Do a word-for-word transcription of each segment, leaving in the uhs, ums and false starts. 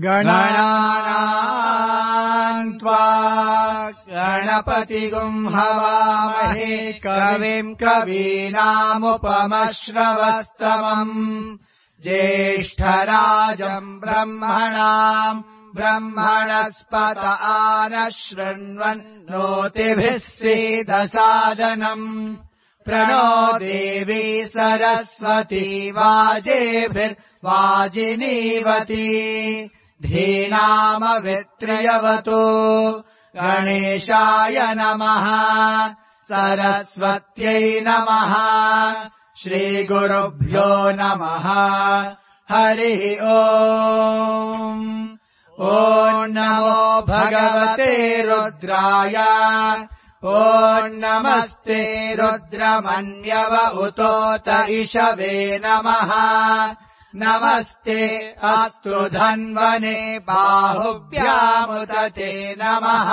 गणानाम् त्वा गणपतिगुम् हवामहे कविम् कवीनामुपमश्रवस्तमम् ज्येष्ठराजम् ब्रह्मणाम् ब्रह्मणस्पत आनः शृण्वन् नोतिभिः सीदसादनम् प्रणो देवी सरस्वती वाजेभिर्वाजिनीवती धीनामवित्र्यवतु गणेशाय नमः सरस्वत्यै नमः श्रीगुरुभ्यो नमः हरिः ओम् ॐ नमो भगवते रुद्राय ॐ नमस्ते रुद्रमन्यव उतोत इषवे नमः नमस्ते अस्तु धन्वने बाहुभ्यामुत ते नमः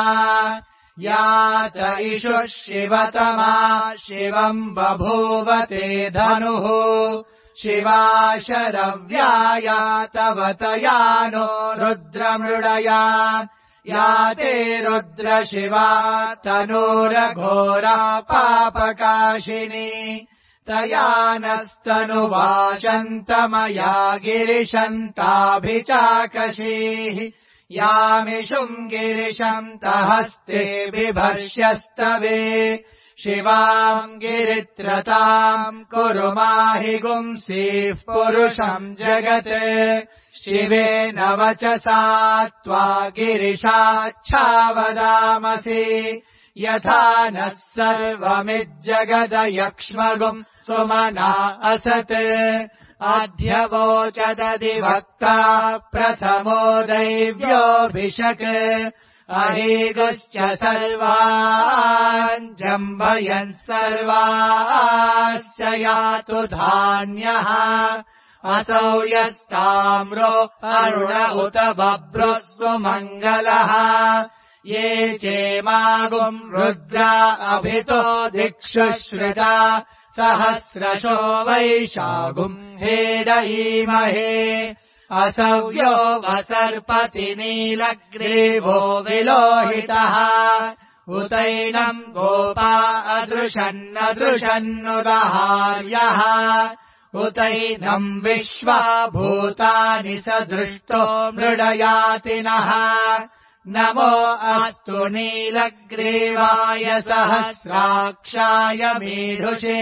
या च इषुः शिवतमा शिवम् बभूवते धनुः शिवा शरव्याया तव तया नो रुद्रमृडया या ते रुद्र शिवा तनूरघोरा पापकाशिनी तया नस्तनुवाचन्तमया गिरिशन्ताभिचाकशीः यामिषुम् गिरिशन्तहस्ते बिभर्ष्यस्तवे शिवाम् गिरित्रताम् कुरु माहि गुंसीः पुरुषम् जगत् शिवेन वचसा त्वा गिरिशाच्छावदामसि यथा नः सर्वमिज्जगदयक्ष्मगुम् सुमना असत् अध्यवोचदधिवक्ता प्रथमो दैव्योऽभिषक् अहेगश्च सर्वान् जम्भयन् सर्वाश्च यातु धान्यः असौ यस्ताम्रो अरुण उत बभ्रुः सुमङ्गलः ये चेमागुम् रुद्रा अभितो दिक्षुश्रुता सहस्रशो वैशागुम् हेडयीमहे असव्यो वसर्पति नीलग्रीवो विलोहितः उतैनम् गोपा अदृशन्नदृशन्नुदहार्यः उतैनम् विश्वा भूतानि स दृष्टो मृडयातिनः नमो अस्तु नीलग्रीवाय सहस्राक्षाय मीढुषे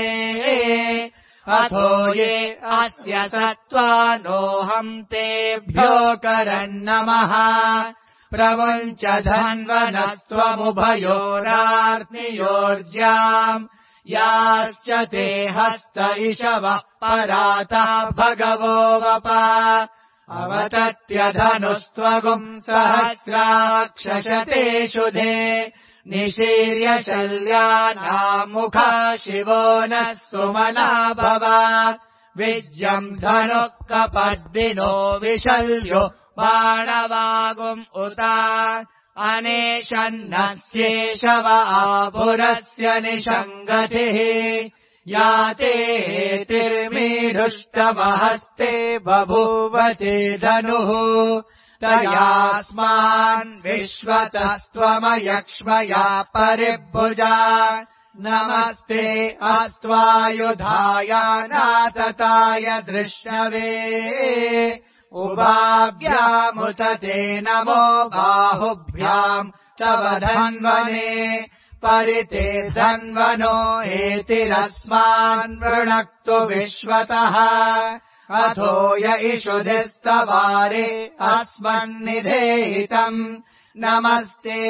अथो ये अस्य सत्त्वा नोऽहम् तेभ्यो करन्नमः प्रमुञ्च धन्वनस्त्वमुभयोरार्नियोर्ज्याम् याश्च ते हस्त इषवः पराता भगवो वपा अवतत्यधनुस्त्वगुम् सहस्राक्षशते शुधे निशीर्य शल्यानामुखा शिवो नः सुमना भव विज्यम् धनुः कपर्दिनो विशल्यो बाणवागुम् उता अनेशन्नस्येषव आभुरस्य निषङ्गतिः याते तिर्मीढुष्टमहस्ते बभूवते धनुः तयास्मान् विश्वतस्त्वमयक्ष्मया परिभुजा नमस्ते अस्त्वायुधाय नातताय दृष्टवे उभाभ्यामुत ते नमो बाहुभ्याम् तव धन्वने परिते धन्वनो एतिरस्मान् वृणक्तु विश्वतः अथो य इषुधिस्तवारे अस्मन्निधेहितम् नमस्ते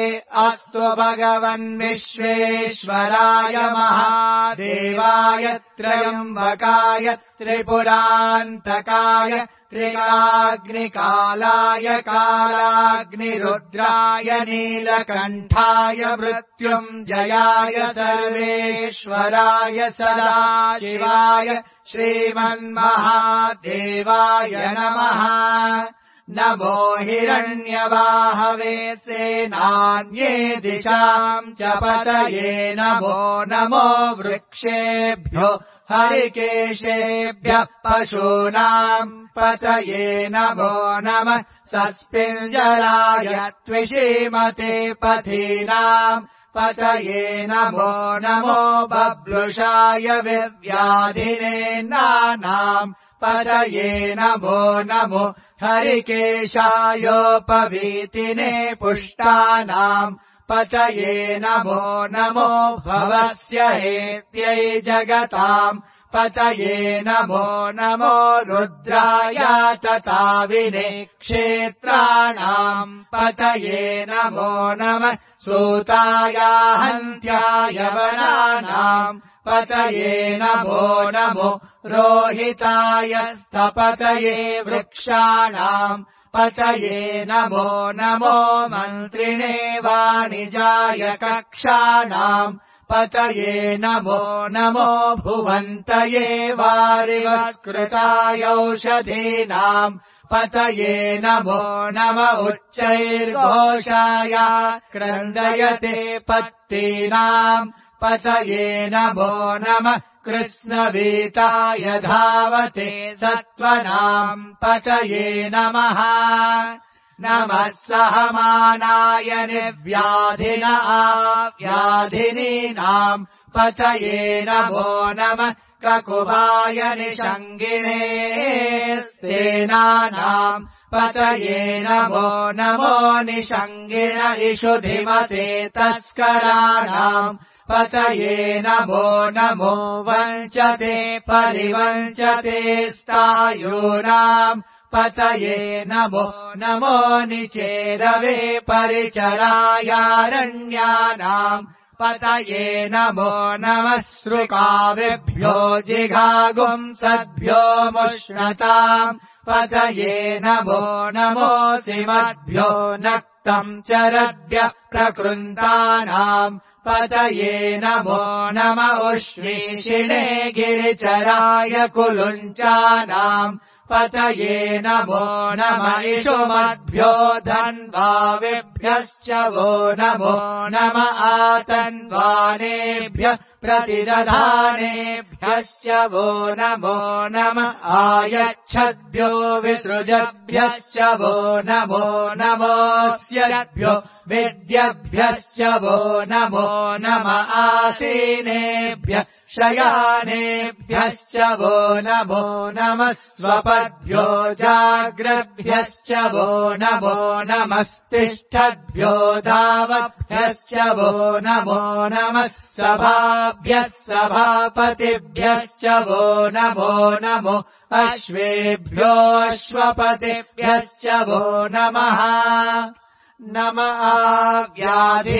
अस्तु भगवन् विश्वेश्वराय महादेवाय त्र्यम्बकाय त्रिपुरान्तकाय त्रिकाग्निकालाय कालाग्निरुद्राय नीलकण्ठाय मृत्युञ्जयाय सर्वेश्वराय सदाशिवाय श्रीमन्महादेवाय नमः नमो हिरण्यवाहवे सेनान्ये दिशाम् च पतये नमो नमो वृक्षेभ्यो हरिकेशेभ्यः पशूनाम् पतये नमो नमः सस्पिञ्जराय त्विषीमते पथीनाम् पतये नमो नमो बब्लुषाय विव्याधिने नानाम् पतये नमो नमो हरिकेशायोपवीतिने पुष्टानाम् पतये नमो नमो भवस्य हेत्यै जगताम् पतये नमो नमो रुद्राय तताविने क्षेत्राणाम् पतये नमो नमः सूताय हन्त्याय वनानाम् पतये नमो नमो रोहिताय स्थपतये वृक्षाणाम् पतये नमो नमो मन्त्रिणे वाणिजाय कक्षाणाम् पतये नमो नमो भुवन्तये वारिवस्कृताय औषधीनाम् पतये नमो नम उच्चैर्घोषाय क्रन्दयते पत्तीनाम् पतये नमो नमः कृत्स्नवीताय धावते सत्त्वनाम् पतये नमः नमः सहमानाय निर्व्याधिन आव्याधिनीनाम् पतये नमो नमः ककुभाय निषङ्गिणे स्तेनानाम् पतये नमो नमो निषङ्गिण इषुधिमते तस्कराणाम् पतये नमो नमो वञ्चते परिवञ्चते स्तायूनाम् पतये नमो नमो निचेरवे परिचरायारण्यानाम् पतये नमो नमः सृकाविभ्यो जिघागुंसद्भ्यो मुष्णताम् पतये नमो नमो सिमद्भ्यो नक्तम् चरद्भ्यः प्रकृन्तानाम् पतये नमो नम उष्मीषिणे गिरिचराय कुलुञ्चानाम् पतये नमो नम इषुमद्भ्यो धन्वाविभ्यश्च वो नमो नम आतन्वानेभ्यः प्रतिदधानेभ्यश्च वो नमो नम आयच्छद्भ्यो विसृजभ्यश्च वो नमो नमोऽस्यभ्यो विद्यभ्यश्च वो नमो नम आसीनेभ्यः शयानेभ्यश्च वो नमो नमः स्वपद्भ्यो जाग्रभ्यश्च वो नमो नमस्तिष्ठद्भ्यो धावभ्यश्च वो नमो नमः सभाभ्यः सभापतिभ्यश्च वो नमो नमो अश्वेभ्योऽश्वपतिभ्यश्च वो नमः नम आव्याधिनीभ्यो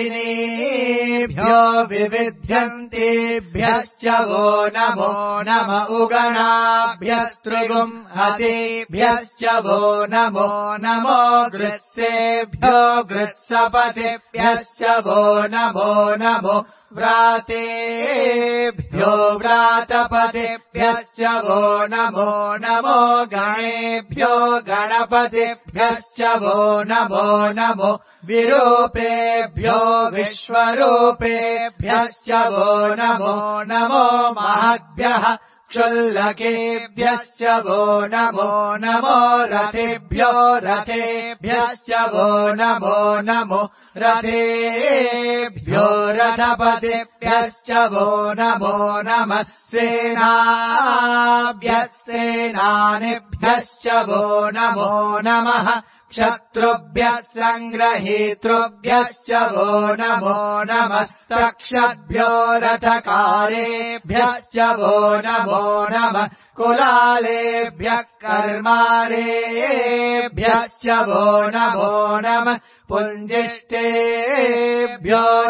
विविध्यन्तेभ्यश्च वो नमो नम उगणाभ्यस्त्रिगुम् हतेभ्यश्च वो नमो नमो गृत्सेभ्यो गृत्सपतिभ्यश्च वो नमो नमो व्रातेभ्यो व्रातपतिभ्यश्च वो नमो नमो गणेभ्यो गणपतिभ्यश्च वो नमो नमो विरूपेभ्यो विश्वरूपेभ्यश्च वो नमो नमो महद्भ्यः क्षुल्लकेभ्यश्च वो नमो नमो रथेभ्यो रथेभ्यश्च वो नमो नमो रथेभ्यो रथपतिभ्यश्च वो नमो नमः सेनाभ्यस्सेनानिभ्यश्च वो नमो नमः क्षत्रुभ्यः सङ्ग्रहीतृभ्यश्च वो नमो नमस्तक्षद्भ्यो रथकारेभ्यश्च वो नमो नमः कुलालेभ्यः कर्मारेभ्यश्च वो नमो नमः पुञ्जिष्टेभ्यो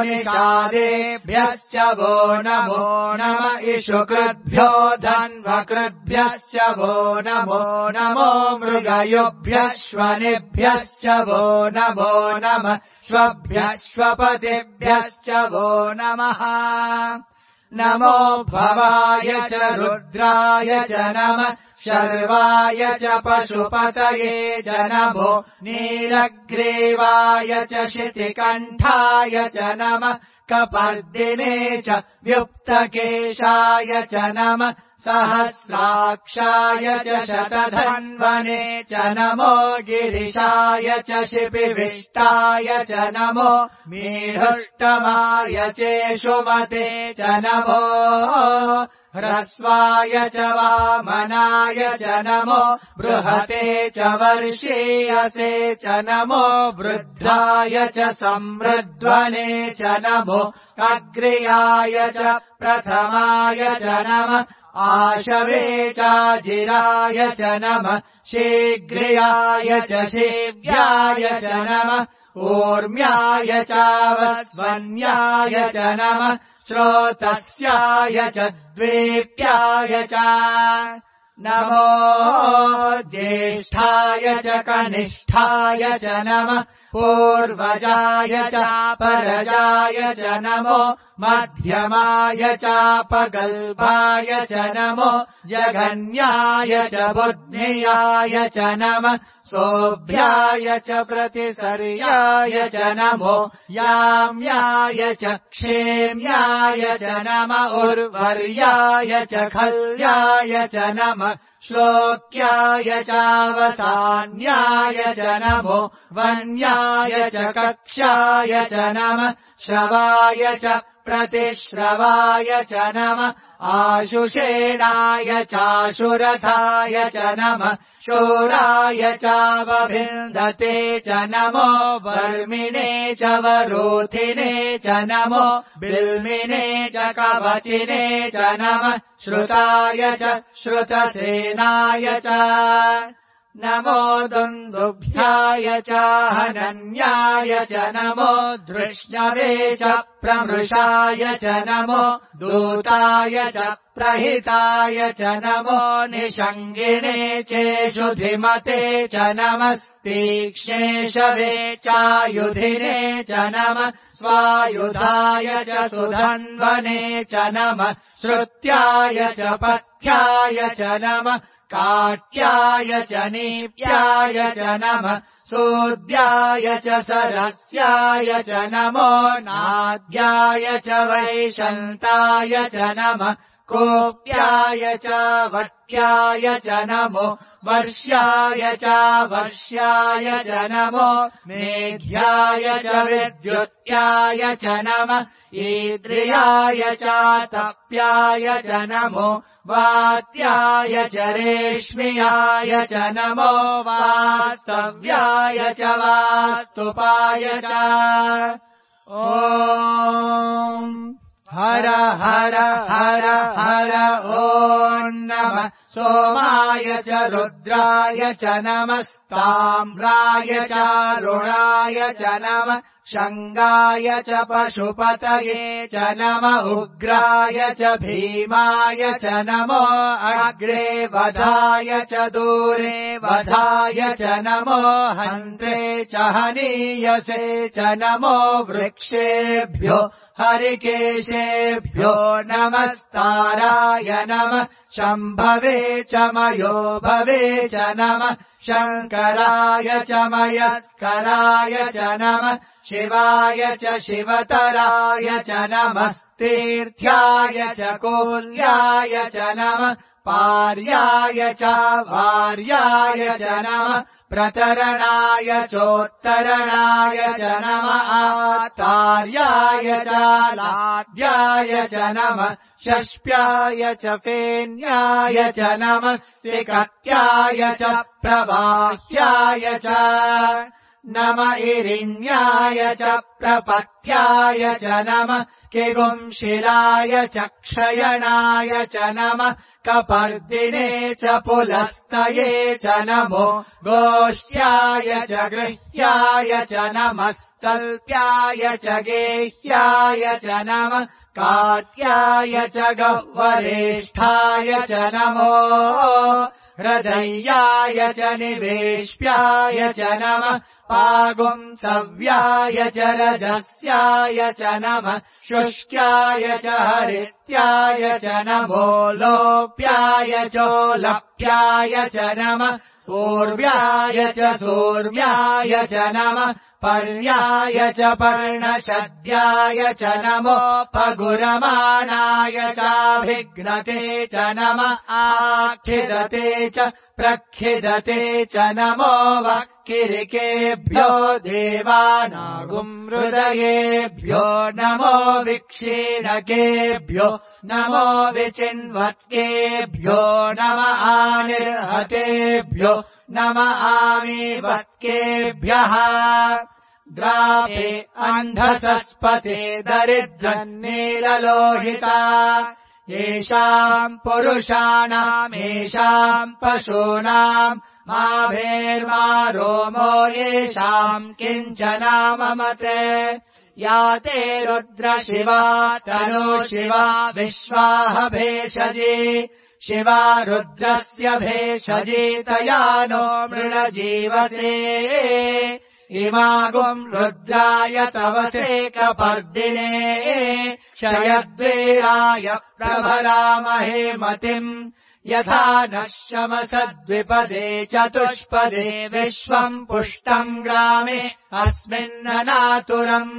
निषादेभ्यश्च वो नमो नम इषुकृद्भ्यो धन्वकृद्भ्यश्च वो नमो नमो मृगयुभ्यश्वनिभ्यश्च वो नमो नमः श्वभ्यश्वपतिभ्यश्च वो नमः नमो भवाय च रुद्राय च नमः शर्वाय च पशुपतये च नमो नीलग्रीवाय च शितिकण्ठाय च नमः कपर्दिने च व्युक्तकेशाय च नमः सहस्राक्षाय च शतधन्वने च नमो गिरिशाय च शिपिविष्टाय च नमो मीढुष्टमाय चेषुमते च नमो ह्रस्वाय च वामनाय च नमो बृहते च वर्षीयसे च नमो वृद्धाय च समृद्ध्वने च नमो अग्र्याय च प्रथमाय च नमः आशवे चाजिराय च नमः शीघ्र्याय च शीघ्राय च नमः ऊर्म्याय चावस्वन्याय च नमः श्रोतस्याय च द्वीप्याय च नमो ज्येष्ठाय च कनिष्ठाय च नमः पूर्वजाय चापरजाय च नमो मध्यमाय चापगल्भाय च नमो जघन्याय च बुद्ध्याय च नमः सोऽभ्याय च प्रतिसर्याय च नमो याम्याय च क्षेम्याय च नमः उर्वर्याय च खल्याय च नमः श्लोक्याय चावसान्याय च नमो वन्याय च कक्ष्याय च नमः श्रवाय च प्रतिश्रवाय च नमः आशुषेणाय चाशुरथाय च नमः शूराय चावभिन्दते च नमो वर्मिणे च वरोधिने च नमो बिल्मिने च कवचिने च नमः श्रुताय च श्रुतसेनाय च नमो दुन्दुभ्याय च हनन्याय च नमो धृष्णवे च प्रमृषाय च नमो दूताय च प्रहिताय च नमो निषङ्गिणे चेषुधिमते च नमस्तीक्ष्णेशवे चायुधिने च नमः स्वायुधाय च सुधन्वने च नमः श्रुत्याय च पथ्याय च नमः काट्याय च नीप्याय च नमः सूद्याय च सरस्याय च नमो नाद्याय च वैशन्ताय च नमः कोप्याय च वट्याय च नमो वर्ष्याय च वर्ष्याय च नमो मेघ्याय च विद्युत्याय च नमः ईद्रियाय च तप्याय च नमो वात्याय च रेश्म्याय च नमो वास्तव्याय च वास्तुपाय च ॐ हर हर हर हर ॐ नमः सोमाय च रुद्राय च नमस्ताम्राय च रुणाय च नमः शङ्गाय च पशुपतये च नमः उग्राय च भीमाय च नमो अग्रे वधाय च दूरे वधाय च नमो हन्त्रे च हनीयसे च नमो वृक्षेभ्यो हरिकेशेभ्यो नमस्ताराय नमः शम्भवे च मयो भवे च नमः शङ्कराय च मयस्कराय च नमः शिवाय च शिवतराय च नमस्तीर्थ्याय च कोल्याय च नमः पार्याय च वार्याय च नमः प्रतरणाय चोत्तरणाय च नमः आतार्याय च लाद्याय च नमः षष्प्याय च फेन्याय च नमः सिकत्याय च प्रवाह्याय च नम इरिण्याय च प्रपथ्याय च नमः किगुंशिलाय च क्षयणाय च नमः कपर्दिने च पुलस्तये च नमो गोष्ठ्याय च गृह्याय च नमस्तल्प्याय च गेह्याय च नमः काट्याय च गह्वरेष्ठाय च नमो हृदयाय च निवेश्याय च नमः पागुंसव्याय च रजस्याय च नमः शुष्क्याय च हरित्याय च नमो लोप्याय चोलप्याय च नमः पूर्व्याय च सूर्व्याय च नमः पर्याय च पर्णशद्याय च नमोपगुरमाणाय चाभिघ्नते च नम आखिदते च प्रखिदते च नमो वक्किरिकेभ्यो देवानागुमृदयेभ्यो नमो विक्षीणकेभ्यो नमो विचिन्वत्केभ्यो नम आनिर्हतेभ्यो नम आमीवत्केभ्यः द्रापे अन्धसस्पते दरिद्रन्नीललोहिता येषाम् पुरुषाणामेषाम् पशूनाम् माभेर्मा रोमो येषाम् किञ्चनाममते या ते रुद्र शिवा तनो शिवा विश्वाह भेषजी शिवा रुद्रस्य भेषजी तया नो मृणजीवसे इमागुम् रुद्राय तवसे कपर्दिने क्षयद्वीराय प्रभरामहे मतिम् यथा नः शमसद्विपदे चतुष्पदे विश्वम् पुष्टम् ग्रामे अस्मिन्ननातुरम्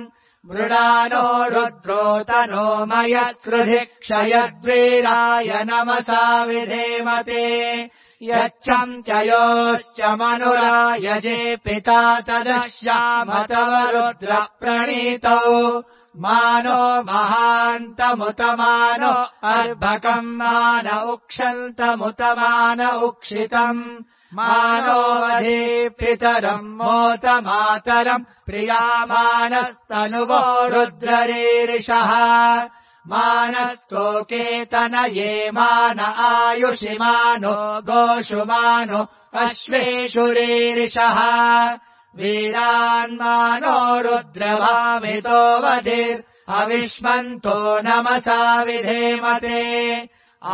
मृडानो रुद्रो तनो मयस्कृधि क्षयद्वीराय नमसा विधेमते यच्छम् च योश्च मनुरायजे पिता तदश्याम तव रुद्र प्रणीतौ मानो महान्तमुतमानो अर्भकम् मान उक्षन्तमुतमान उक्षितम् मानो वधे पितरम् मोतमातरम् प्रियामानस्तनुवो रुद्ररीरिषः मानस्तोकेतनये मान आयुषिमानो गोषुमानो अश्वेषुरीरिषः वीरान्मानो रुद्रभामितो वधिर् अविष्मन्तो नमसा विधेमते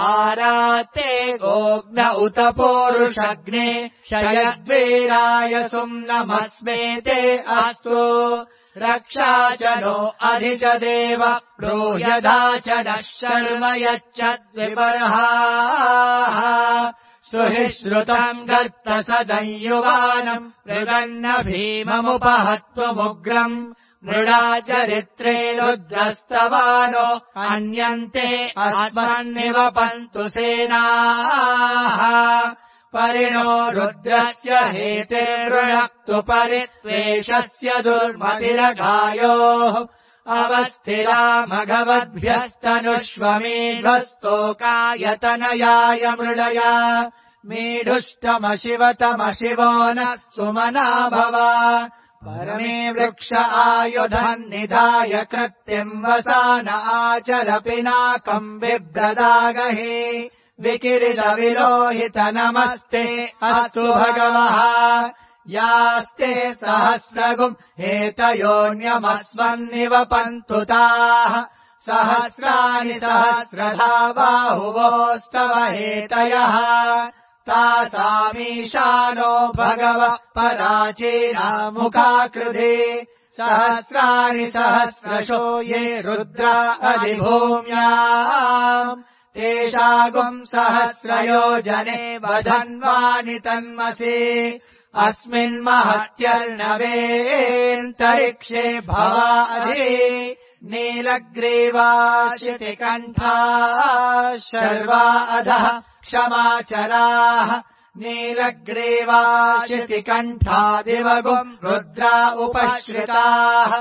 आराते गोग्न उत पूरुषग्ने शयद्वीराय सुम्नमस्मेते अस्तु रक्षा च नो अधि च देव ब्रूह्यधा च नः शर्म यच्चद्विबर्हाः सुहि श्रुतम् गर्त सदंयुवानम् मृगन्न भीममुपहत्वमुग्रम् मृडा चरित्रे रुद्रस्तवानो अन्यन्ते अस्मन्निवपन्तु सेनाः परिणो रुद्रस्य हेतेर्वृणक्तु परित्वेषस्य दुर्मतिरघायोः अवस्थिरा मघवद्भ्यस्तनुष्वमीढस्तोकायतनयाय मृडया मीढुष्टमशिवतमशिवो नः सुमना भव परमे वृक्ष आयुधम् निधाय कृत्तिम् वसान आचर पिनाकम् बिभ्रदागहि विकिरितविलोहित नमस्ते अस्तु भगवः यास्ते सहस्रगुम् हेतयोऽन्यमस्मन्निवपन्तु ताः सहस्राणि सहस्रधा बाहुवोस्तव हेतयः तासामीशानो भगवः पराचीना मुखाकृधे सहस्राणि सहस्रशो ये रुद्रा अधिभूम्याम् तेषागुम् सहस्रयोजने वधन्वानि तन्मसि अस्मिन्महत्यर्णवेऽन्तरिक्षे भवाधि नीलग्रीवाशितिकण्ठा शर्वा अधः क्षमाचराः नीलग्रीवाशितिकण्ठा दिवगुम् रुद्रा उपश्रिताः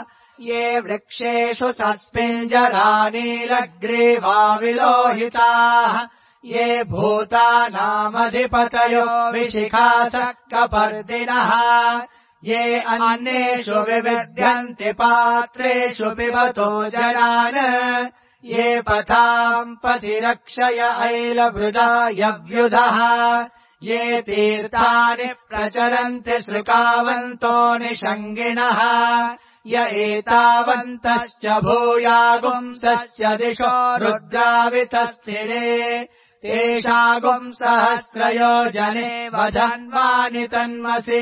ये वृक्षेषु सस्मिञ्जरा नीलग्रीवा विलोहिताः ये भूतानामधिपतयो विशिखासः कपर्दिनः ये अन्येषु विविध्यन्ति पात्रेषु पिबतो जनान् ये पथाम् पथिरक्षय ऐलवृदायव्युधः ये तीर्थानि प्रचरन्ति सृकावन्तो निषङ्गिणः य एतावन्तश्च भूयागुंसस्य दिशो रुद्रावितस्थिरे तेषागुम् सहस्रयोजने वधन्वानि तन्मसि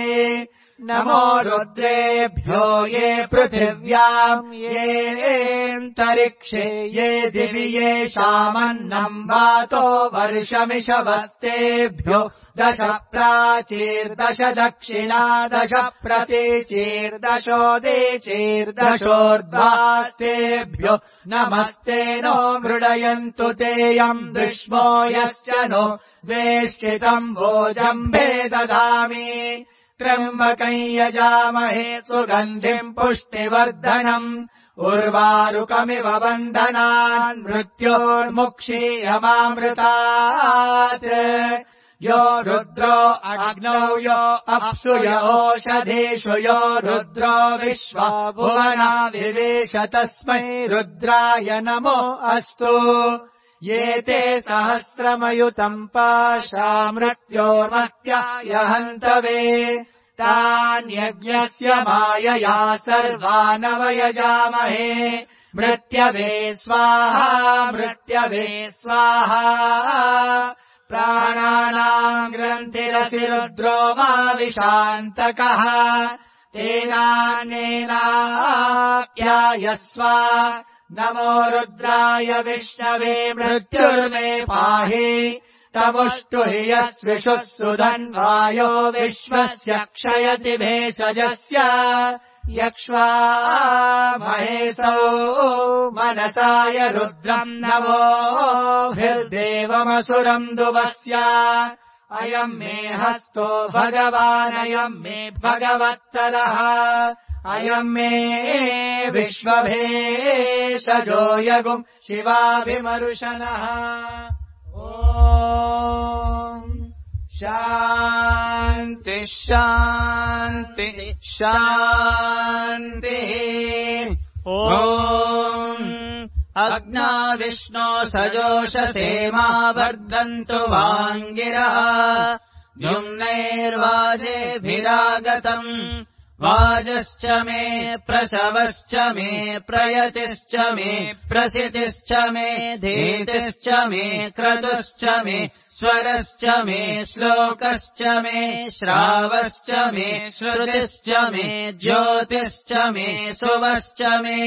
नमो रुद्रेभ्यो ये पृथिव्याम् येऽन्तरिक्षे ये दिवि येषामन्नम् वातो वर्षमिषवस्तेभ्यो दश प्राचीर्दश दक्षिणा दश प्रतीचीर्दशोदीचीर्दशोर्ध्वास्तेभ्यो नमस्ते नो मृडयन्तु तेऽयम् दुष्मो यश्च नो वेष्टितम् भोजम्भे ददामि त्र्यम्बकम् यजामहे सुगन्धिम् पुष्टिवर्धनम् उर्वारुकमिव बन्धनान् मृत्योर्मुक्षीयमामृतात् यो रुद्रो अग्नौ यो अप्सु य ओषधीषु यो रुद्रो विश्वा भुवना विवेश तस्मै रुद्राय नमो अस्तु ये ते सहस्रमयुतम् पाशा मृत्योर्मत्याय हन्तवे तान्यज्ञस्य मायया सर्वानवयजामहे मृत्यवे स्वाहा मृत्यवे स्वाहा प्राणानाम् ग्रन्थिरसि रुद्रो मा विशान्तकः तेनानेनाप्यायस्व नमो रुद्राय विष्णवे मृत्युर्मे पाहि तमुष्टु हि यस्विषुः सुधन्वायो विश्वस्य क्षयति भेषजस्य यक्ष्वा महेशौ मनसाय रुद्रम् नमो भिर्देवमसुरम् दुवस्य अयम् मे हस्तो भगवानयम् मे भगवत्तरः अयम् मे विश्वभेषजो यगुम् शिवाभिमरुशनः ॐ शान्ति शान्ति शान्तिः ॐ अग्ना विष्णो सजोषसेमा वर्धन्तु वाङ्गिरः द्युम्नैर्वाजेभिरागतम् वाजश्च मे प्रसवश्च मे प्रयतिश्च मे प्रसितिश्च मे धीतिश्च मे क्रतुश्च मे स्वरश्च मे श्लोकश्च मे श्रावश्च मे श्रुतिश्च मे ज्योतिश्च मे सुवश्च मे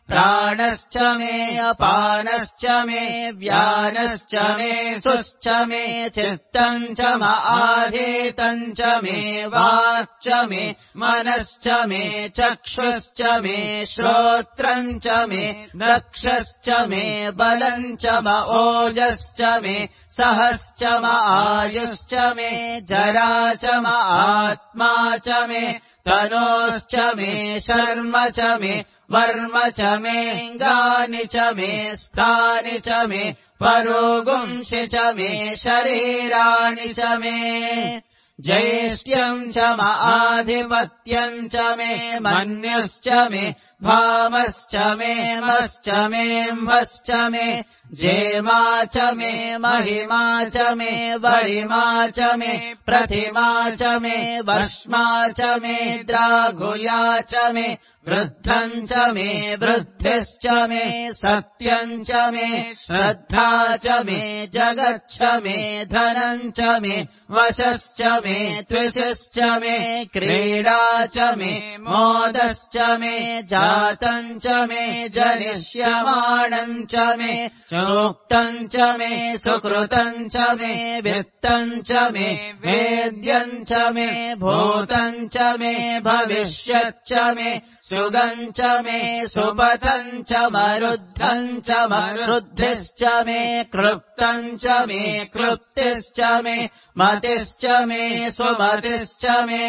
प्राणश्च मे अपानश्च मे व्यानश्च मे सुश्च मे चित्तम् च म आधीतम् च मे वाक्च मे मनश्च मे चक्षुश्च मे श्रोत्रम् च मे नक्षश्च मे बलम् च म ओजश्च मे सहश्च म आयुश्च मे जरा च म आत्मा च मे तनोश्च मे शर्म च मे वर्म च मेऽङ्गानि च मे स्थानि च मे परोगुंसि च मे शरीराणि च मे ज्येष्ठ्यम् च म आधिपत्यम् च मे मन्यश्च मे भामश्च मे मश्च मेऽम्भश्च मे जेमा च मे महिमा च मे वरिमा च मे प्रतिमा च मे वर्ष्मा च मे द्राघुया च मे वृद्धम् च मे वृद्धिश्च मे सत्यम् च मे श्रद्धा च मे जगच्छ मे धनम् च मे वशश्च मे त्विषश्च मे क्रीडा च मे मोदश्च मे जातम् च मे जनिष्यमाणम् च मे सूक्तम् च मे सुकृतम् च मे वित्तम् च मे वेद्यम् च मे भूतम् च मे भविष्यच्च मे सुगम् च मे सुपथम् च मरुद्धम् च मरुद्धिश्च मे क्लृप्तम् च मे क्लृप्तिश्च मे मतिश्च मे सुमतिश्च मे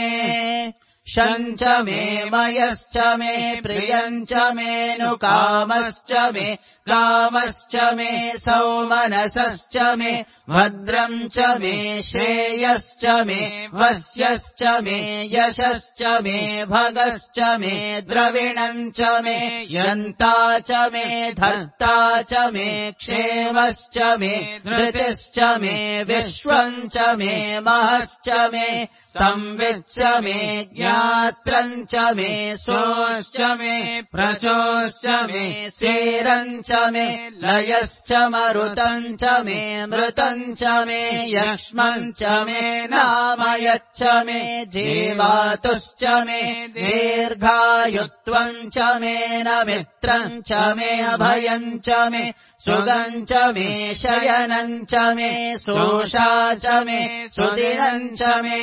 शम् च मे मयश्च मे प्रियम् च मेऽनुकामश्च मे कामश्च मे सौमनसश्च मे भद्रम् च मे श्रेयश्च मे वस्यश्च मे यशश्च मे भगश्च मे द्रविणम् च मे यन्ता च मे धर्ता च मे क्षेमश्च मे धृतिश्च मे विश्वम् च मे महश्च मे संविच्च मे ज्ञात्रम् च मे सोश्च मे प्रचोश्च मे सेरम् च मे लयश्च मरुतम् च मे मृतम् च मे यक्ष्मम् च मे नामयच्च मे जीवातुश्च मे दीर्घायुत्वम् च मे न मित्रम् च मे अभयम् च मे सुगम् च मे शयनम् च मे सोषा च मे सुदिनम् च मे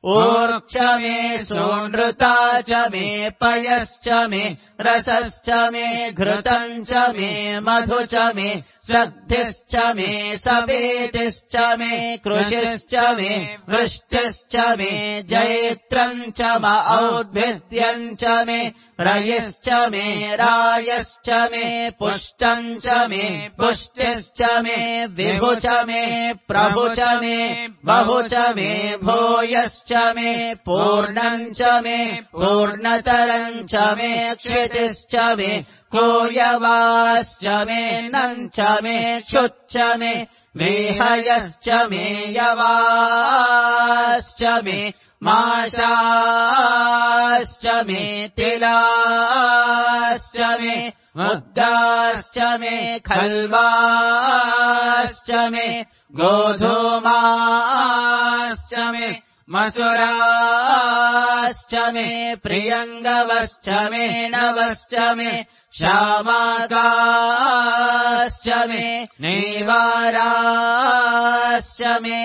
ऊर्क्ष मे सोनृता च मे पयश्च मे रसश्च मे घृतम् च मे मधु च मे श्रद्धिश्च मे सपेतिश्च मे कृषिश्च मे वृष्टिश्च मे जैत्रम् च म औद्भिद्यम् च मे रयिश्च मे रायश्च मे पुष्टम् च मे पुष्टिश्च मे विभु च मे प्रभु च मे बहु च मे भूयश्च मे पूर्णम् च मे पूर्णतरम् च मे क्षितिश्च मे कोयवाश्च मे नम् च मे क्षुच्च मे मेहयश्च मे यवाश्च मे माशाश्च मे तिलाश्च मे मुद्गाश्च मे खल्वाश्च मे गोधूमाश्च मे मसुराश्च मे प्रियङ्गवश्च मे नवश्च मे श्यामाकाश्च मे नेवाराश्च मे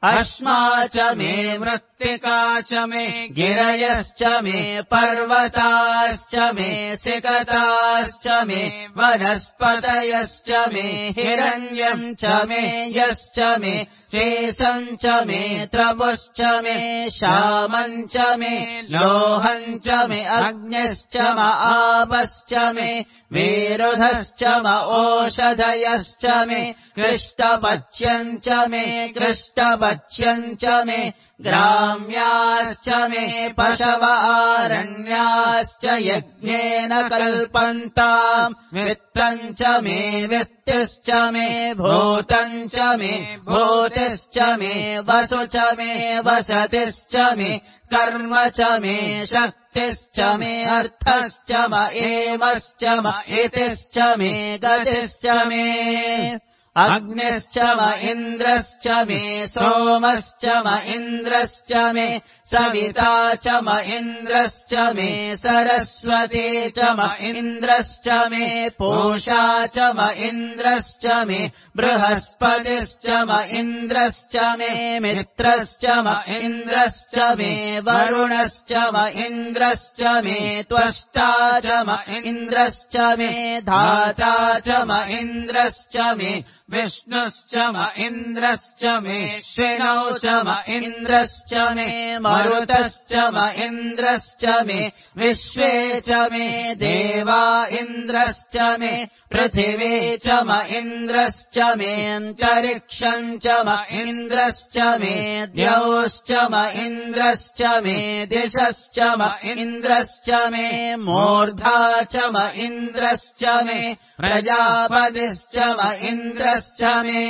अश्मा च मे मृत्तिका च मे गिरयश्च मे पर्वताश्च मे सिकताश्च मे वनस्पतयश्च मे हिरण्यम् च मे यश्च मे शेषम् च मे त्रपुश्च मे श्यामम् च मे लोहम् च मे अग्निश्च म आपश्च मे विरुधश्च म ओषधयश्च मे कृष्टपच्यम् च मे कृष्टपच्यम् च मे ग्राम्याश्च मे पशव आरण्याश्च यज्ञेन कल्पन्ताम् वित्तम् च मे वित्तिश्च मे भूतम् च मे भूतिश्च मे वसु च मे वसतिश्च मे कर्म च मे शक्तिश्च मे अर्थश्च म एवश्च म इतिश्च मे गतिश्च मे अग्निश्च म इन्द्रश्च मे सोमश्च म इन्द्रश्च मे सविता च म इन्द्रश्च मे सरस्वती च म इन्द्रश्च मे पूषा च म इन्द्रश्च मे बृहस्पतिश्च म इन्द्रश्च मे मित्रश्च म इन्द्रश्च मे वरुणश्च म इन्द्रश्च मे त्वष्टा च म इन्द्रश्च मे धाता च म इन्द्रश्च मे विष्णुश्च म इन्द्रश्च मे श्विनौ च म इन्द्रश्च मे मरुतश्च म इन्द्रश्च मे विश्वे च मे देवा इन्द्रश्च मे पृथिवी च म इन्द्रश्च मे अन्तरिक्षम् च म इन्द्रश्च मे द्यौश्च म इन्द्रश्च मे दिशश्च म इन्द्रश्च मे मूर्धा च म इन्द्रश्च मे प्रजापतिश्च म इन्द्रश्च मे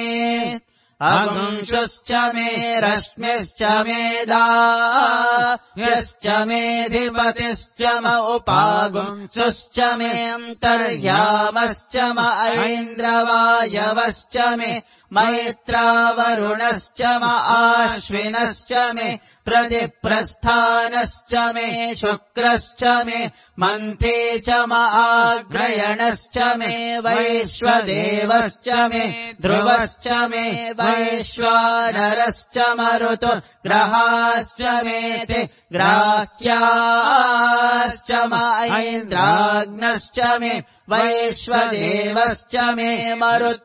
अगुंशुश्च मे रश्मिश्च मे दाह्यश्च मेऽधिपतिश्च म उपागुंशुश्च मे अन्तर्यामश्च म ऐन्द्रवायवश्च मे मैत्रावरुणश्च म आश्विनश्च मे प्रतिप्रस्थानश्च मे शुक्रश्च मे मन्थे च म आग्रयणश्च मे वैश्वदेवश्च मे ध्रुवश्च मे वैश्वानरश्च मरुतो ग्रहाश्च मेति ग्राह्याश्च म ऐन्द्राग्नश्च मे वैश्वदेवश्च मे मरुत्वतीयाश्च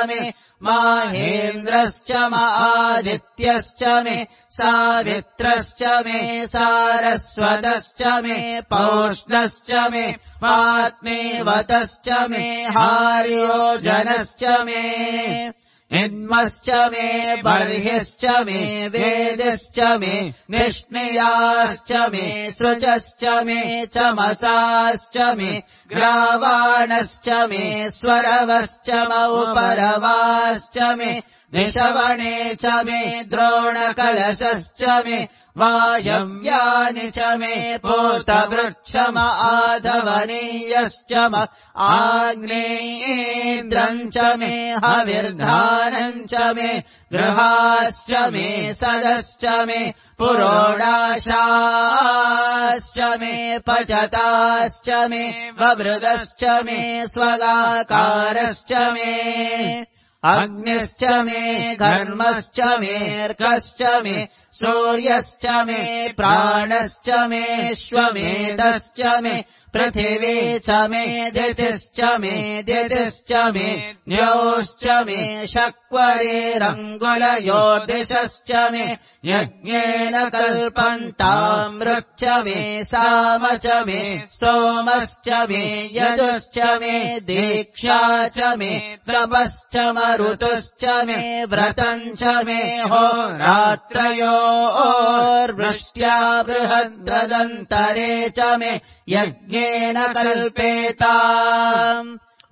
मे माहेन्द्रश्च म आदित्यश्च मे सावित्रश्च मे सारस्वतश्च मे पौष्णश्च मे पात्नीवतश्च मे हार्योजनश्च मे इद्मश्च मे बर्हिश्च मे वेदिश्च मे निष्णियाश्च मे सृजश्च मे चमसाश्च मे ग्रावाणश्च मे स्वरवश्च म उपरवाश्च मे निशवने च मे द्रोणकलशश्च मे वायव्यानि च मे पूतवृक्षम आधवनीयश्च म आग्नेयेन्द्रम् च मे हविर्धानम् च मे गृहाश्च मे सदश्च मे पुरोडाशाश्च मे पचताश्च मे ववृदश्च मे स्वगाकारश्च मे अग्निश्च मे घर्मश्च मेऽर्कश्च मे सूर्यश्च मे प्राणश्च मे श्वमेधश्च मे पृथिवी च मे दितिश्च मे दितिश्च मे न्योश्च मे शक्वरेरङ्गुलयोर्दिशश्च मे यज्ञेन कल्पन्तामृच्च मे साम च मे स्तोमश्च मे यजुश्च मे दीक्षा च मे तपश्च मरुतुश्च मे व्रतम् च मे होरात्रयोर्वृष्ट्या बृहद्रदन्तरे च मे यज्ञेन कल्पेताम्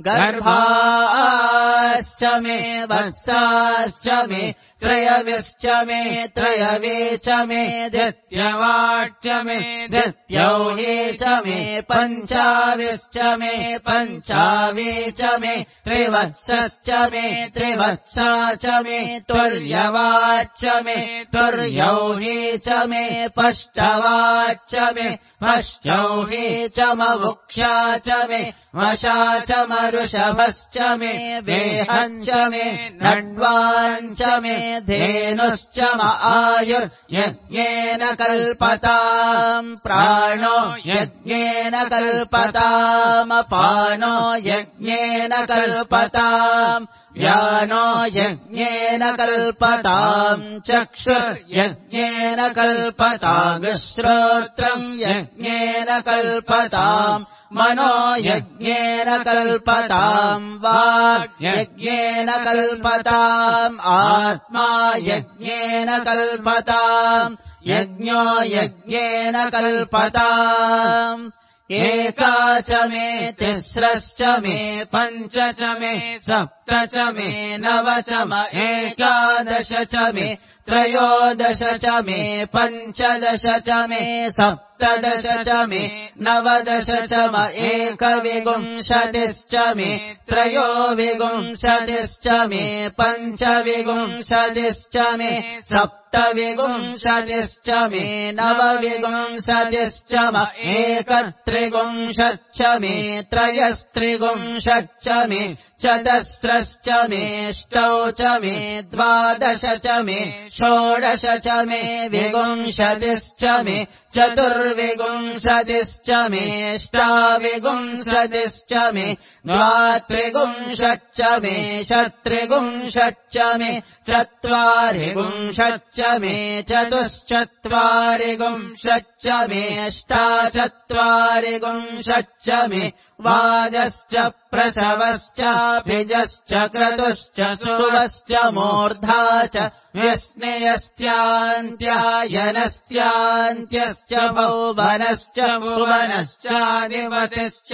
गर्भाश्च मे वत्साश्च मे त्रयविश्च मे त्रयवे च मे दित्यवाच्च मे दित्यौहे च मे पञ्चाविश्च मे पञ्चावे च मे त्रिवत्सश्च मे त्रिवत्सा च मे तुर्यवाच्च मे तुर्यौहे च मे पष्टवाच्च मे पश्चौहे च मवुक्षा च मे वशा च मरुषभश्च मे वेहञ्च मे नड्वाञ्च मे धेनुश्च म आयुर्यज्ञेन कल्पताम् प्राणो यज्ञेन कल्पताम् अपानो यज्ञेन कल्पताम् व्यानो यज्ञेन कल्पताम् चक्षुर्यज्ञेन कल्पताम् श्रोत्रम् यज्ञेन कल्पताम् मनो यज्ञेन कल्पताम् वाक् यज्ञेन कल्पताम् आत्मा यज्ञेन कल्पताम् यज्ञो यज्ञेन कल्पताम् एका च मे तिस्रश्च मे पञ्च च मे सप्त च मे नव च म एकादश च मे त्रयोदश च मे पञ्चदश च मे सप्तदश च मे नवदश च म एकविंशतिश्च मे त्रयोविंशतिश्च मे पञ्चविंशतिश्च मे सप्तविंशतिश्च मे नवविंशतिश्च म एकत्रिंशच्च मे त्रयस्त्रिंशच्च मे चतस्रश्च मे अष्टौ च मे द्वादश च मे षोडश च मे विंशतिश्च मे चतुर्विंशतिश्च मे अष्टाविंशतिश्च मे द्वात्रिंशच्च मे षट्त्रिंशच्च मे चत्वारिंशच्च मे चतुश्चत्वारिंशच्च मे अष्टाचत्वारिंशच्च मे वाजश्च प्रसवश्चाभिजश्च क्रतुश्च सुवश्च मूर्धा च व्यस्नेयश्चान्त्यायनश्चान्त्यश्च भुवनश्च भुवनश्चाधिपतिश्च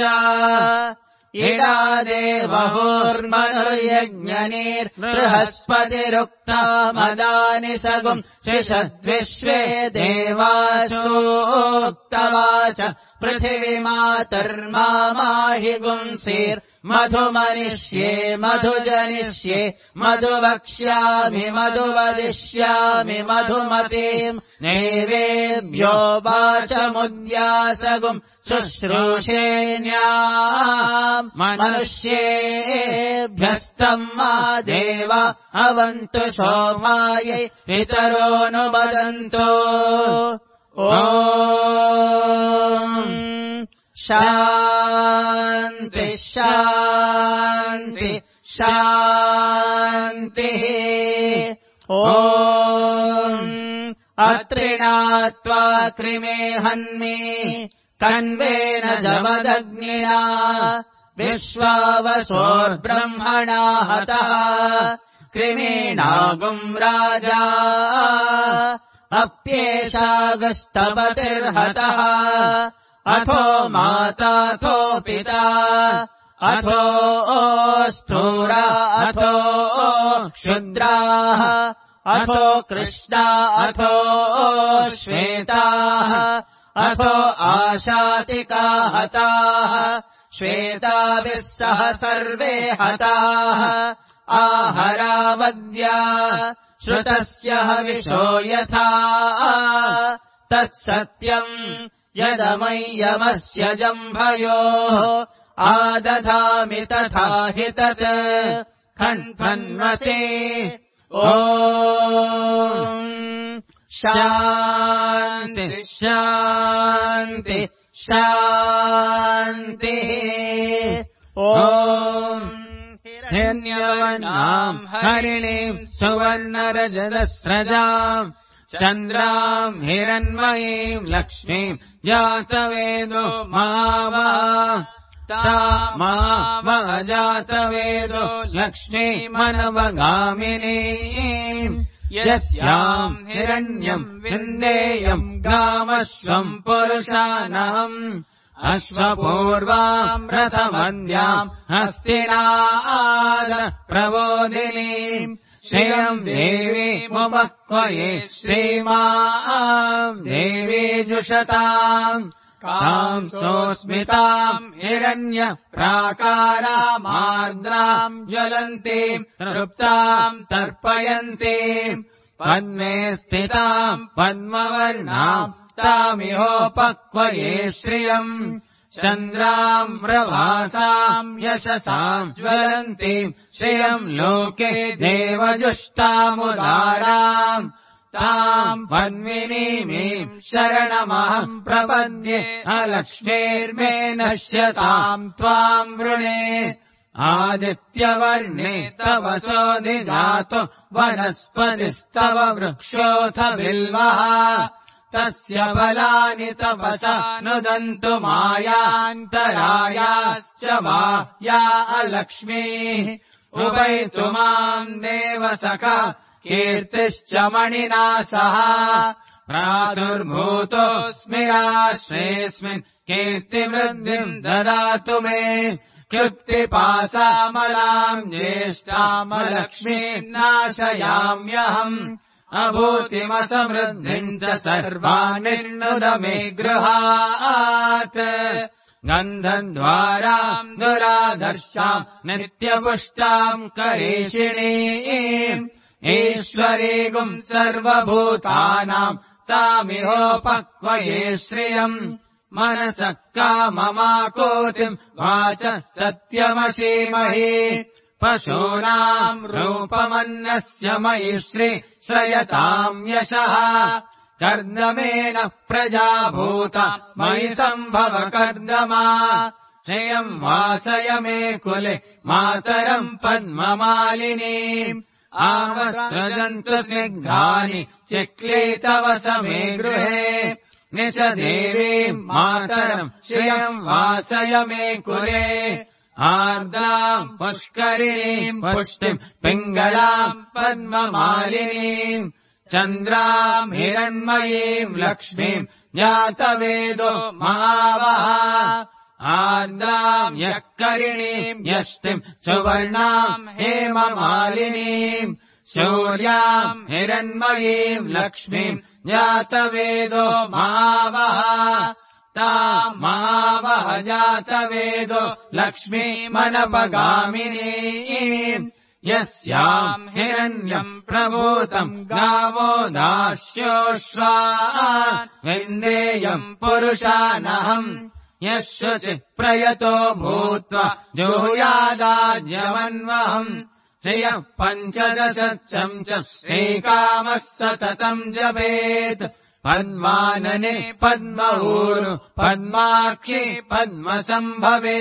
इडा देवहोर्मनुर्यज्ञनीर्बृहस्पतिरुक्ता मदानि सगुम् शिषद्विश्वे देवासोक्तवाच पृथिवी मातर्माहि गुंसीर्मधुमनिष्ये मधुजनिष्ये मधुवक्ष्यामि मधुवदिष्यामि मधुमतीम् नैवेभ्यो वाचमुद्यासगुम् शुश्रूषेण्याम् मनुष्येभ्यस्तम् मा देवा अवन्तु शोभायै पितरोऽनुवदन्तु ॐ शान्ति शान्ति शान्तिः ॐ अत्रिणात्वा कृमे हन्मि कन्वेन जमदग्निना विश्वावसोर्ब्रह्मणा हतः कृमीणागुम् राजा अप्येषागस्तपतिर्हतः अथो माताथो पिता अथो स्थूरा अथो क्षुद्राः अथो कृष्णा अथो श्वेताः अथो आशातिका हताः श्वेताभिः सह सर्वे हताः आहरावद्या श्रुतस्य हविषो यथा तत्सत्यम् यदमय्यमस्य जम्भयोः आदधामि तथा हि तत् खण्फन्मसे ॐ शान्ति शान्ति शान्तिः ॐ हिरण्यवर्णाम् हरिणीम् सुवर्णरजतस्रजाम् चन्द्राम् हिरण्मयीम् लक्ष्मीम् जातवेदो महावः तामावः जातवेदो लक्ष्मीमनवगामिनीम् यस्याम् हिरण्यम् विन्देयम् गामश्वम् पुरुषाणाम् अश्वपूर्वाम् रथमन्द्याम् हस्तिनाद प्रबोधिनीम् श्रियम् देवी मुमक्वये श्रीमाम् देवी जुषताम् ताम् सोऽस्मिताम् हिरण्य प्राकारामार्द्राम् ज्वलन्तीम् तृप्ताम् तर्पयन्तीम् पद्मे स्थिताम् पद्मवर्णाम् तामिहोपक्वये श्रियम् चन्द्राम् प्रभासाम् यशसाम् ज्वलन्तीम् श्रियम् लोके देवजुष्टामुदाराम् ताम् पद्मिनीमीम् शरणमहम् प्रपद्ये अलक्ष्मीर्मे नश्यताम् त्वाम् वृणे आदित्यवर्णे तव सोऽधिजातो वनस्पतिस्तव वृक्षोऽथ बिल्वः तस्य फलानि तपसा नुदन्तु मायान्तरायाश्च माया अलक्ष्मीः उपैतु माम् देवसखा कीर्तिश्च मणिना सह प्रादुर्भूतोऽस्मि राष्ट्रेऽस्मिन् कीर्तिवृद्धिम् ददातु मे क्षुत्पिपासामलाम् ज्येष्ठामलक्ष्मीम् नाशयाम्यहम् अभूतिमसमृद्धिम् च सर्वानिर्नुद मे गृहात् गन्धद्वाराम् दुराधर्षाम् नित्यपुष्टाम् करेशिणीम् ईश्वरीगुम् सर्वभूतानाम् तामिहोपक्वये श्रियम् मनसः काममाकोतिम् वाचः सत्यमशीमहि पशूनाम् रूपमन्नस्य मयि श्री श्रयताम् यशः कर्दमेन प्रजाभूता मयि सम्भव कर्दमा श्रियम् वासय मे कुले मातरम् पद्ममालिनीम् आवस्रजन्तु स्निग्धानि चिक्लीतव समे गृहे निश देवीम् मातरम् श्रियम् वासय मे कुले आर्द्राम् पुष्करिणीम् पुष्टिम् पिङ्गलाम् पद्ममालिनीम् चन्द्राम् हिरण्मयीम् लक्ष्मीम् जातवेदो महावः आर्द्राम् यःकरिणीम् यष्टिम् सुवर्णाम् हेममालिनीम् सूर्याम् हिरण्मयीम् लक्ष्मीम् जातवेदो महावः ताम् महावः जातवेदो लक्ष्मीमनपगामिनीम् यस्याम् हिरण्यम् प्रभूतम् गावो दास्योश्वा विन्देयम् पुरुषानहम् यः शुचिः प्रयतो भूत्वा जुहुयादाज्यमन्वहम् श्रियः पञ्चदशम् च श्रीकामः सततम् जपेत् पद्मानने पद्मऊरु पद्माक्षी पद्मसम्भवे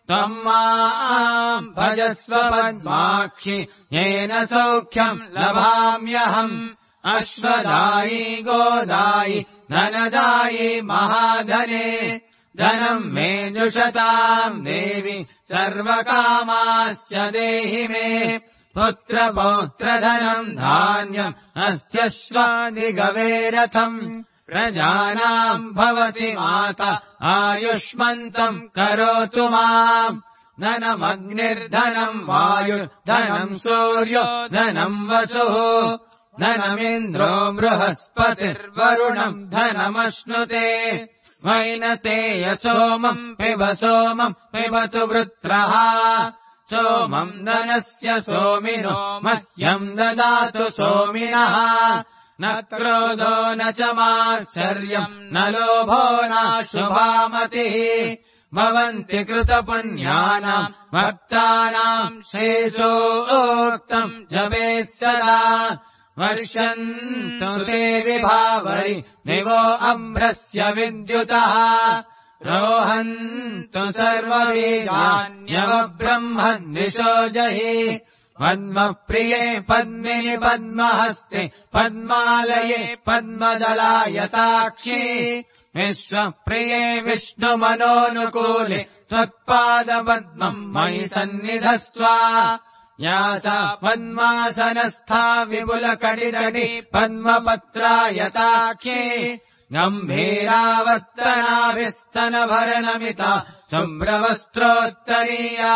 त्वम् माम् भजस्व पद्माक्षि येन सौख्यम् लभाम्यहम् अश्वदायी गोदायि धनदायि महाधने धनम् मे जुषताम् देवि सर्वकामास्य देहि मे पुत्रपौत्रधनम् धान्यम् अस्य श्वादिगवेरथम् प्रजानाम् भवति माता आयुष्मन्तम् करोतु माम् धनमग्निर्धनम् वायुर्धनम् सूर्यो धनम् वसुः धनमिन्द्रो बृहस्पतिर्वरुणम् धनमश्नुते वैनतेय सोमम् पिब सोमम् पिबतु वृत्रः सोमम् धनस्य सोमिनो मह्यम् ददातु सोमिनः न क्रोधो न च मात्सर्यम् न लोभो नाशुभामतिः भवन्ति कृतपुण्यानाम् भक्तानाम् श्रेयोक्तम् जपेत् सदा वर्षन्तु ते विभावरि दिवो अभ्रस्य विद्युतः रोहन्तु सर्वबीजान्यवब्रह्मन्दिशो जहि पद्मप्रिये पद्मिनि पद्महस्ते पद्मालये पद्मदलायताक्षी विश्वप्रिये विष्णुमनोनुकूले त्वत्पादपद्मम् मयि सन्निधस्त्व या सा पद्मासनस्था विपुलकटितटी पद्मपत्रायताक्षी गम्भीरावर्तनाभिस्तनभरनमिता शुभ्रवस्त्रोत्तरीया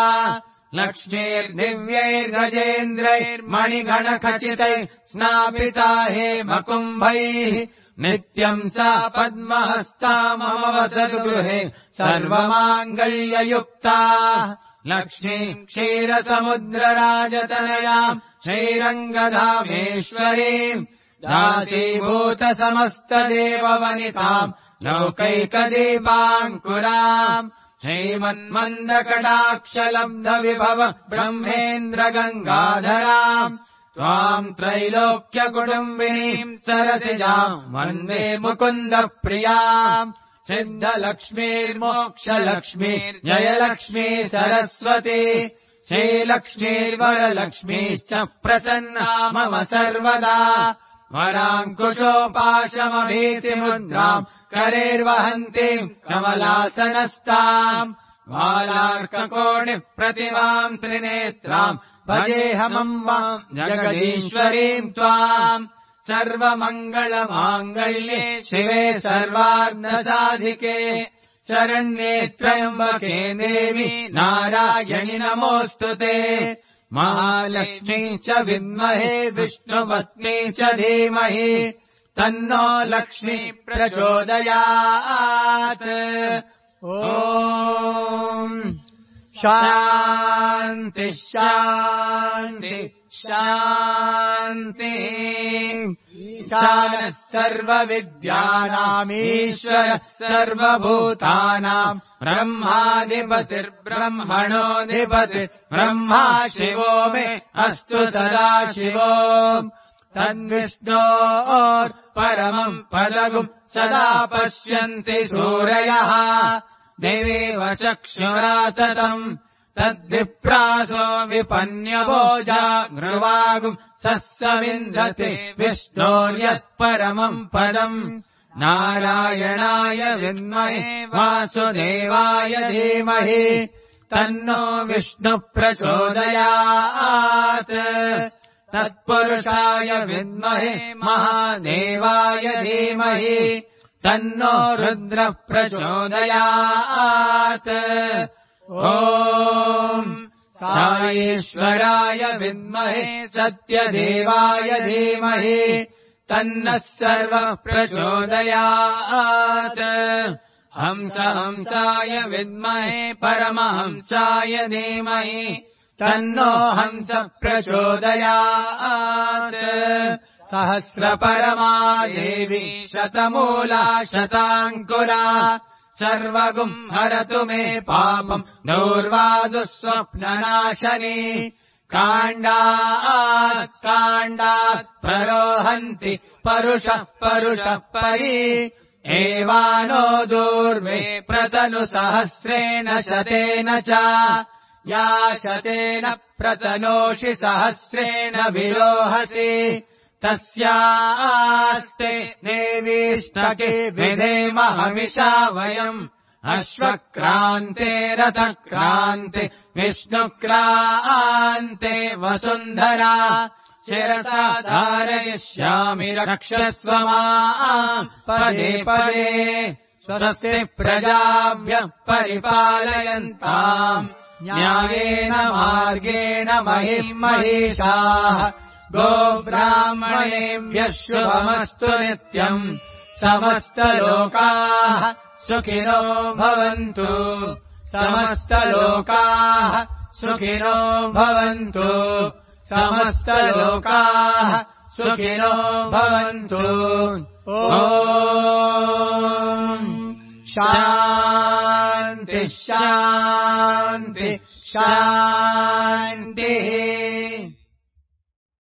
लक्ष्मीर्दिव्यैर्गजेन्द्रैर्मणिगणखचितैः स्नापिता हेमकुम्भैः नित्यम् सा पद्महस्ता मम वसतु गृहे सर्वमाङ्गल्ययुक्ता लक्ष्मी क्षीरसमुद्रराजतनयाम् श्रीरङ्गधामेश्वरीम् दासीभूतसमस्तदेववनिताम् लौकैकदीपाङ्कुराम् श्रीमन्मन्दकटाक्षलब्धविभव ब्रह्मेन्द्रगङ्गाधराम् त्वाम् त्रैलोक्यकुटुम्बिनीम् सरसिजाम् वन्दे मुकुन्दप्रियाम् सिद्धलक्ष्मीर्मोक्षलक्ष्मीर्जयलक्ष्मी सरस्वती श्रीलक्ष्मीर्वरलक्ष्मीश्च प्रसन्ना मम सर्वदा वराङ्कुशोपाशमभीतिमुद्राम् करेर्वहन्तीम् कमलासनस्ताम् बालार्ककोणिप्रतिमाम् त्रिनेत्राम् भजेऽहमम् वाम् जगदीश्वरीम् त्वाम् सर्वमङ्गलमाङ्गल्ये शिवे सर्वार्धसाधिके शरण्ये त्र्यम्बके देवी नारायणि नमोऽस्तु ते महालक्ष्मी च विद्महे विष्णुपत्नी च धीमहि तन्नो लक्ष्मी प्रचोदयात् ॐ शान्ति शान्ति शान्ति ईशानः सर्वविद्यानामीश्वरः सर्वभूतानाम् ब्रह्माधिपतिर्ब्रह्मणोऽधिपतिर्ब्रह्मा शिवो मे अस्तु सदा शिवो तद्विष्णोर्परमम् पदगुम् सदा पश्यन्ति सूरयः देवीव चक्षुराततम् तद्विप्रासो विपन्यभोजा गृवागुम् सस्सविन्धते विष्णोर्यत्परमम् पदम् नारायणाय विद्महे वासुदेवाय धीमहि तन्नो विष्णुप्रचोदयात् तत्पुरुषाय विद्महे महादेवाय धीमहि तन्नो रुद्रप्रचोदयात् ॐ साईश्वराय विद्महे सत्यदेवाय धीमहि तन्नः सर्वः प्रचोदयात् हंस हंसाय विद्महे परमहंसाय धीमहि तन्नो हंस प्रचोदयात् सहस्रपरमा देवी शतमूला शताङ्कुरा सर्वगुम् हरतु मे पापम् दूर्वादुःस्वप्ननाशनी काण्डात् काण्डात् प्ररोहन्ति परुषः परुषः परि एवानो दूर्वे प्रतनु सहस्रेण शतेन च या शतेन प्रतनोषि सहस्रेण विरोहसि तस्यास्ते देवीष्टके विधेम हविषा वयम् अश्वक्रान्ते रथक्रान्ते विष्णुक्रान्ते वसुन्धरा शिरसा धारयिष्यामि रक्षस्व माम् पदे पदे स्वस्ति प्रजाभ्यः परिपालयन्ताम् न्यायेन मार्गेण महिम् महिषाः गोब्राह्मणेभ्यः शुभमस्तु नित्यम् समस्तलोकाः सुखिनो भवन्तु समस्तलोकाः सुखिनो भवन्तु समस्तलोकाः सुखिनो भवन्तु ॐ शान्ति शान्ति शान्ति